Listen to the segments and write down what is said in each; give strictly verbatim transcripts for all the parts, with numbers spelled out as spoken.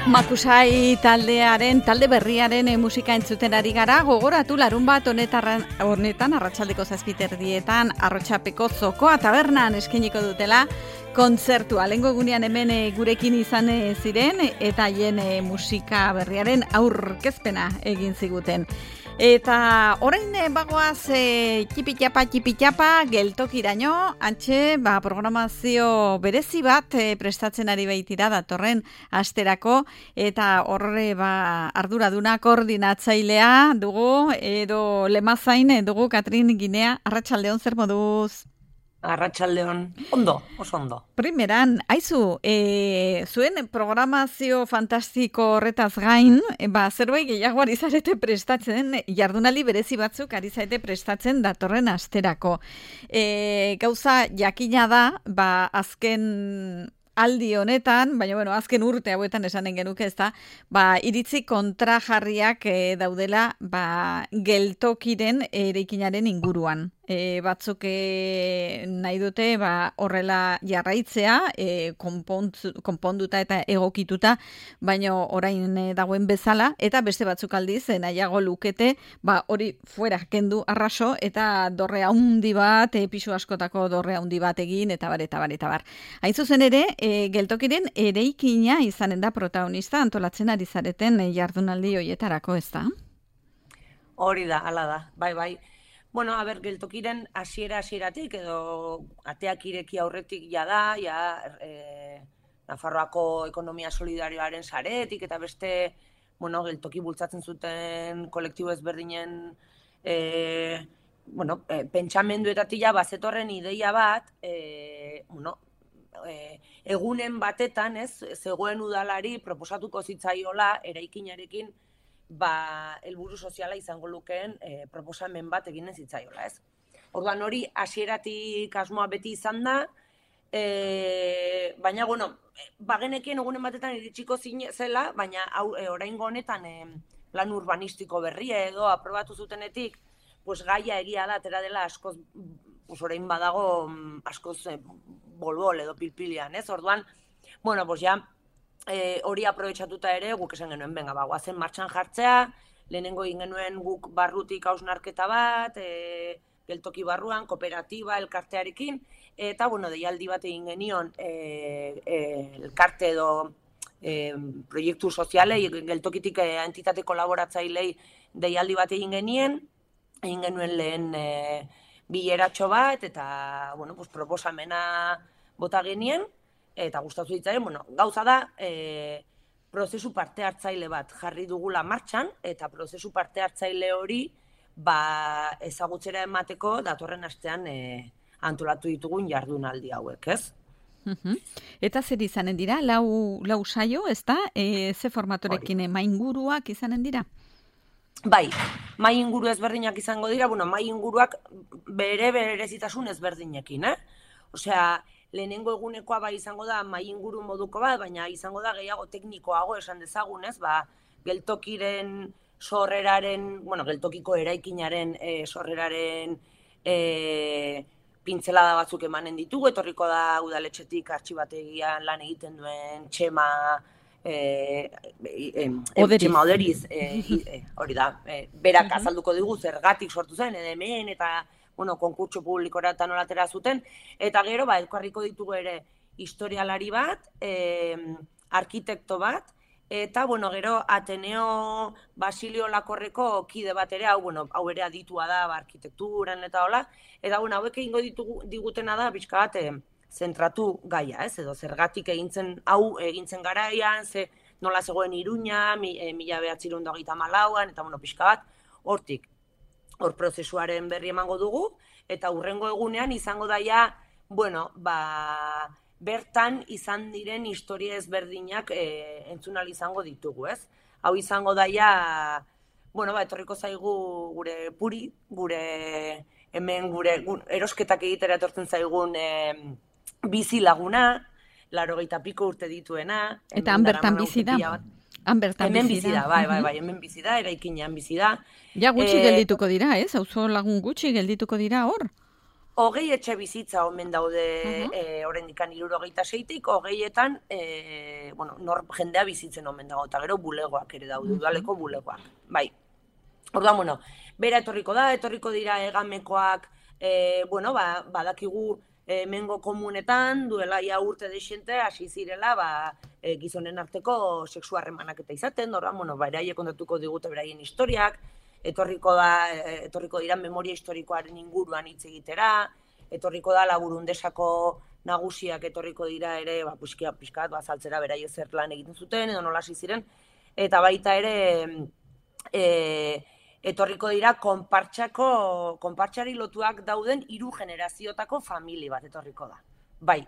Makusai taldearen, talde berriaren e, musika entzuten ari gara, gogoratu larun bat honetan, honetan arratsaldeko zazpiterdietan Arrotxapeko Zokoa tabernan eskeniko dutela kontzertua. Lehengo egunean hemen e, gurekin izan e, ziren eta haien e, musika berriaren aurkezpena egin ziguten. Eta orain e, bagoaz e, txipitxapa, txipitxapa, geltokiraino, antxe ba, programazio berezi bat e, prestatzen ari baitira datorren asterako, eta horre ba, arduraduna koordinatzailea dugu, edo lemazain dugu Katrin Ginea. Arratsaldeon, zer moduz? Arratsaldeon, ondo, oso ondo. Primeran, aizu, e, zuen programazio fantastiko horretaz gain, e, ba, zerbait gehiago ari zarete prestatzen, jardunaldi berezi batzuk ari zarete prestatzen datorren asterako. E, gauza jakina da, ba, azken aldi honetan, baina bueno, azken urte hauetan esanen genuke ez da, ba, iritzi kontrajarriak e, daudela ba, geltokiren eraikinaren inguruan. E, batzuk e, nahi dute ba, horrela jarraitzea, e, konpontzu, konponduta eta egokituta, baina orain e, dagoen bezala, eta beste batzuk aldiz, e, nahiago lukete, ba, hori fuera kendu arraso, eta dorre haundi bat, e, pisu askotako dorre haundi bat egin, eta bar, eta bar, eta bar. Hain zuzen ere, e, geltokiren ereikina izanen da protagonista antolatzen ari zareten e, jardunaldi hoietarako, ez da? Hori da, hala da, bai, bai. Bueno, a ber, geltokiren hasiera hasieratik edo ateak ireki aurretik ja da, ja e, Nafarroako ekonomia solidarioaren saretik eta beste, bueno, geltoki bultzatzen zuten kolektibo ezberdinen e, bueno, e, pentsamenduetatik ja bazetorren ideia bat, e, bueno, e, egunen batetan, ez, zegoen udalari proposatuko zitzaiola eraikinarekin ba, helburu soziala izango lukeen e, proposamen bat eginen zitzaiola, ez? Orduan hori hasieratik asmoa beti izan da, e, baina, bueno, bagenekien egunen batetan iritsiko zela, baina hau, e, oraingo honetan e, plan urbanistiko berria edo aprobatu zutenetik, pues gaia egia da, atera dela askoz, pues orain badago askoz e, bolbol edo pilpilian, ez? Orduan, bueno, pues ja, E, hori aprobetxatuta ere, guk esan genuen, benga, ba, guazen martxan jartzea, lehenengo egin genuen guk barrutik hausnarketa bat, e, geltoki barruan, kooperatiba, elkartearekin, eta, bueno, deialdi bat egin genion, e, e, elkarte edo e, proiektu sozialei, geltokitik e, entitate kolaboratzailei deialdi bat egin genien, egin genuen lehen e, bileratxo bat, eta, bueno, pues, proposamena bota genien, eta gustatu ditzaren, bueno, gauza da, e, prozesu parte hartzaile bat jarri dugula martxan, eta prozesu parte hartzaile hori ba, ezagutzera emateko datorren astean e, antolatu ditugun jardunaldi hauek, ez? Uh-huh. Eta zer izanen dira, lau, lau saio, ez da? E, ze formatorekin mainguruak izanen dira? Bai, mai inguru ezberdinak izango dira, bueno, mai inguruak bere berezitasun ezberdinekin, eh? Osea, lehenengo egunekoa bai izango da mai inguru moduko bat, baina izango da gehiago teknikoago esan dezagunez, ba, geltokiren sorreraren, bueno, geltokiko eraikinaren e, sorreraren e, pintzelada batzuk emanen ditugu, etorriko da udaletxetik artxibategian lan egiten duen Txema e, e, e, Txema Oderiz, e, e, hori da, e, berak azalduko digu zergatik sortu zen, edo hemen eta bueno, konkurtso publikora eta nolatera zuten, eta gero, ba, elkarriko ditugu ere historialari bat, e, arkitekto bat, eta, bueno, gero, Ateneo Basilio Lakorreko kide bat ere, hau, bueno, hau ere aditua da, ba, arkitekturan eta hola, eta, bueno, hauek egingo ditugu, digutena da, pixka bat, e, zentratu gaia, ez, edo zergatik egintzen, hau egintzen garaian, ze nola zegoen Iruña, mi, e, mila behatzirun hogeita hamalauan, eta, bueno, pixka bat, hortik, hor prozesuaren berri emango dugu, eta hurrengo egunean izango daia, bueno, ba, bertan izan diren historia ezberdinak e, entzunal izango ditugu, ez? Hau izango daia, bueno, ba, etorriko zaigu gure puri, gure hemen gure erosketak egitera etortzen zaigun e, bizi laguna, laurogeita piko urte dituena. Eta han bertan bizi da. Hemen bizi da, bai, bai, bai, hemen bizi da, eraikinean bizi da. Ja gutxi e, geldituko dira, ez? Auzo lagun gutxi geldituko dira hor. hogei etxe bizitza omen daude uh-huh. e, oraindikan hirurogeita seitik, hogeietan e, bueno, nor jendea bizitzen omen dago, eta gero bulegoak ere daude, uh-huh. udaleko bulegoak. Bai. Orduan, bueno, bera etorriko da, etorriko dira egamekoak, e, bueno, ba, badakigu e, mengo komunetan, duela ja urte deixente, hasi zirela, ba, e, gizonen arteko sexu harremanak eta izaten, orduan, bueno, beraiek kontatuko digute beraien historiak, etorriko da, etorriko dira memoria historikoaren inguruan hitz egitera, etorriko da Laburundesako nagusiak etorriko dira ere, ba, puskia, pixkat, ba, saltzera beraio zer lan egiten zuten, edo nola hasi ziren, eta baita ere, e, etorriko dira konpartsako, konpartsari lotuak dauden hiru generazioetako famili bat etorriko da. Bai,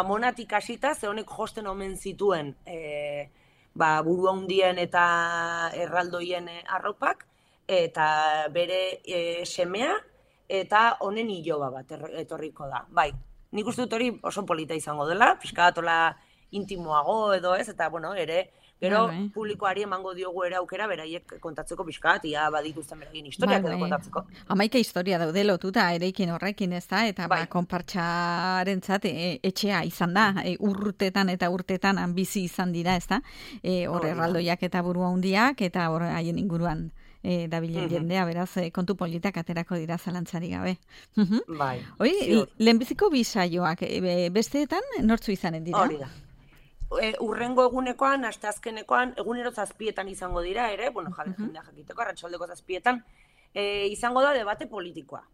amonatik hasita, ze honek josten omen zituen e, ba, buru handien eta erraldoien arropak, eta bere e, semea, eta honen iloba bat etorriko da. Bai, nik uste dut hori oso polita izango dela, pixkatola intimoago edo ez, eta bueno, ere, gero bai, bai. Publikoari emango diogu ere aukera beraiek kontatzeko pixkat, ia badituzten beraien historiak bai, edo kontatzeko. Hamaika historia daude lotuta ereikin horrekin, ez da, eta bai. Ba, konpartxarentzat e, etxea izan da, e, urtetan eta urtetan bizi izan dira, ez da, e, hor erraldoiak eta burua hundiak, eta hor haien inguruan E, dabilen jendea, beraz, e, kontu politak aterako dira zalantzari gabe. Bai. Hoi, lehenbiziko bisaioak, e, besteetan, nortzu izanen dira? Hori da. E, urrengo egunekoan, asteazkenekoan, egunero zazpietan izango dira ere, bueno, jale, uh-huh. jendea jakiteko, arratsaldeko zazpietan, e, izango da debate politikoa.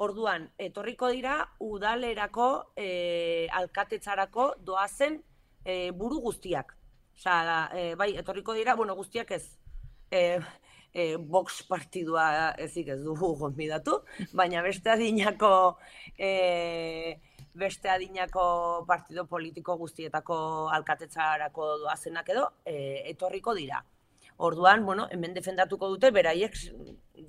Orduan, etorriko dira, udalerako, e, alkatetzarako doazen e, buru guztiak. Osa, e, bai, etorriko dira, bueno, guztiak ez, e, E, box partidua ezik ez dugu gonbidatu, baina beste adinako e, beste adinako partido politiko guztietako alkatetzarako doazenak edo e, etorriko dira. Orduan, bueno, hemen defendatuko dute, beraiek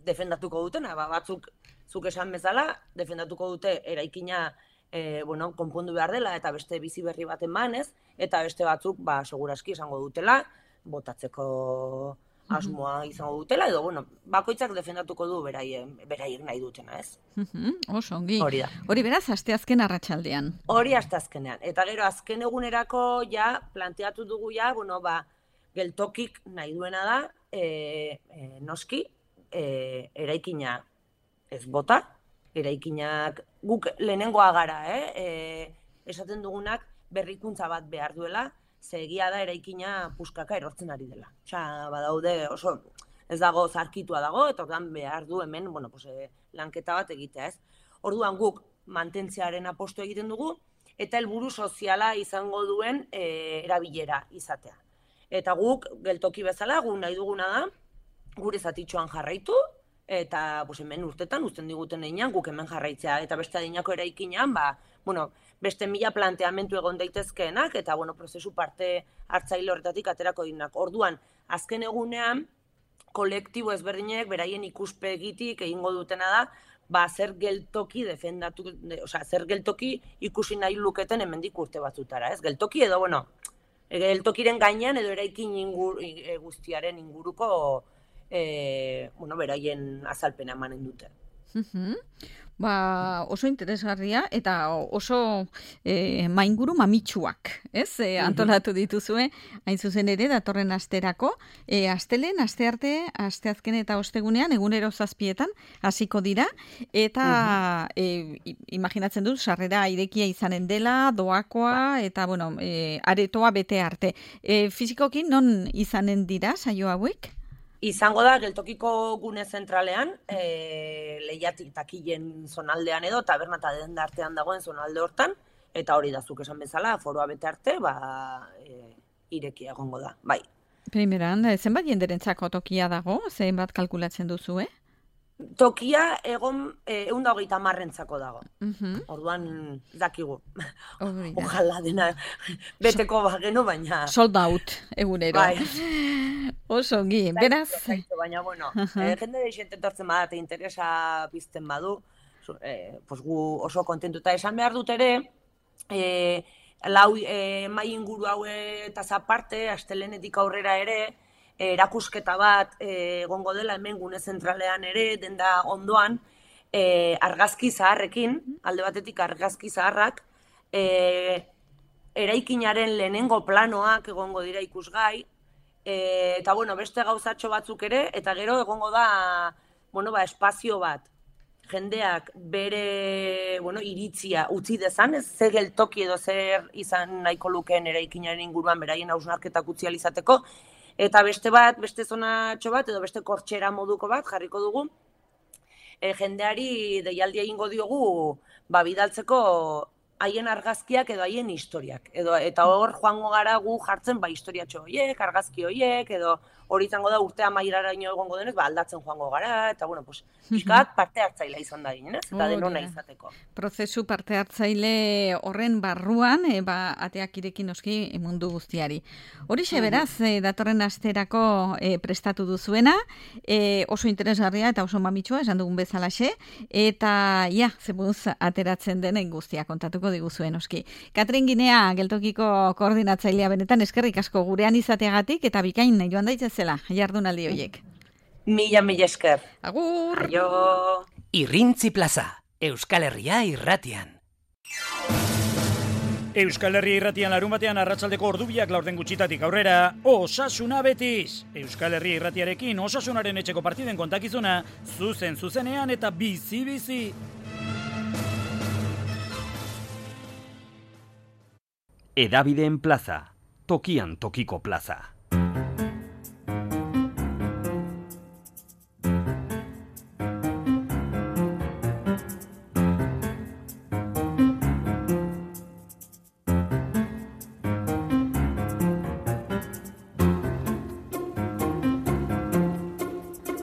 defendatuko dutena, ba, batzuk zuk esan bezala, defendatuko dute eraikina e, bueno, konpondu behar dela eta beste bizi berri bat emanez, eta beste batzuk, ba, seguraski esango dutela, botatzeko asmoa izango dutela, edo, bueno, bakoitzak defendatuko du beraien, beraiek nahi dutena, ez? Uh-huh. Oso, ongi. Hori da. Hori beraz, asteazken arratsaldean. Hori asteazkenean. Eta gero, azken egunerako, ja, planteatu dugu, ja, bueno, ba, geltokik nahi duena da, e, e, noski, e, eraikina ez bota, eraikinak guk lehenengoa gara, eh? E, esaten dugunak berrikuntza bat behar duela, ze egia da eraikina puskaka erortzen ari dela. Osea, badaude oso ez dago zarkitua dago, eta orduan behar du hemen, bueno, pues, eh, lanketa bat egitea, ez? Orduan guk mantentzearen apostu egiten dugu, eta helburu soziala izango duen eh, erabilera izatea. Eta guk, geltoki bezala, guk nahi duguna da, gure zatitxoan jarraitu, eta pues, hemen urtetan, uzten diguten einan, guk hemen jarraitzea, eta beste adinako eraikinean, ba, bueno, beste mila planteamentu egon daitezkeenak, eta bueno, prozesu parte hartzaile horretatik aterako dinak. Orduan, azken egunean, kolektibo ezberdinek, beraien ikuspegitik egingo dutena da, ba, zer geltoki defendatu, de, osea, zer geltoki ikusi nahi luketen hemendik urte batzutara, ez? Geltoki edo, bueno, geltokiren gainean edo eraikin ingur, e, guztiaren inguruko, e, bueno, beraien azalpena emanen dute. Uh-huh. Ba, oso interesgarria eta oso e, mainguru mamitsuak, ez? E, antolatu dituzue, hain zuzen ere, datorren asterako. E, astelen, astearte, asteazken eta ostegunean, egunero zazpietan, hasiko dira. Eta, uh-huh. e, imaginatzen dut, sarrera irekia izanen dela, doakoa, ba. Eta, bueno, e, aretoa bete arte. E, fizikoki, non izanen dira, saio hauek? Izango da, geltokiko gune zentralean, e, lehiatik takilen zonaldean edo, taberna eta denda artean dagoen zonalde hortan, eta hori da zuk esan bezala, foroa bete arte, ba, e, irekia egongo da, bai. Primeran, zenbat jenderentzako tokia dago, zenbat kalkulatzen duzu, eh? Tokia egon ehun eta hogeita hamarrentzako dago. Uh-huh. Orduan dakigu. Ojalá dena beteko bagenu, baina... Sold out, egunero. Bai. Oso ongi, beraz... Baina, bueno, uh-huh. eh, jende deixente tortzen bada, eta interesa pizten badu, eh, pues gu oso kontentuta esan behar dut ere, eh, lau eh, mai inguru haue eta zaparte, astelenetik aurrera ere, erakusketa bat egongo dela hemen gune zentralean ere, denda ondoan, e, argazki zaharrekin, alde batetik argazki zaharrak, e, eraikinaren lehenengo planoak egongo dira ikusgai, e, eta bueno, beste gauzatxo batzuk ere, eta gero egongo da, bueno, ba, espazio bat, jendeak bere, bueno, iritzia utzi dezan, ez ze geltoki edo zer izan nahiko lukeen eraikinaren inguruan beraien hausnarketak utzi ahal izateko, eta beste bat, beste zonatxo bat, edo beste kortxera moduko bat jarriko dugu, e, jendeari deialdia egingo diogu, ba, bidaltzeko haien argazkiak edo haien historiak. Edo, eta hor joango gara gu jartzen ba, historiatxo horiek, argazki horiek, edo hori izango da urte amaieraraino egongo denez, ba, aldatzen joango gara, eta bueno, pues, pixkat parte hartzailea izan da ginen, ez? Eta Oh, denona ja. izateko. Prozesu parte hartzaile horren barruan, e, ba, ateak irekin noski mundu guztiari. Horixe beraz, e, datorren asterako e, prestatu duzuena, e, oso interesgarria eta oso mamitsua, esan dugun bezalaxe, eta ja, zebuz ateratzen denen guztia kontatuko diguzuen noski. Katrin Ginea, geltokiko koordinatzailea benetan eskerrik asko gurean izateagatik eta bikain joan daitzezela jardunaldi horiek. Mila, mila esker. Agur! Aio! Irrintzi plaza, Euskal Herria irratian. Euskal Herria irratian larun batean arratsaldeko ordubiak laurden gutxitatik aurrera, Osasuna betiz! Euskal Herria irratiarekin Osasunaren etxeko partiden kontakizuna, zuzen zuzenean eta bizi-bizi! Hedabideen plaza, tokian tokiko plaza.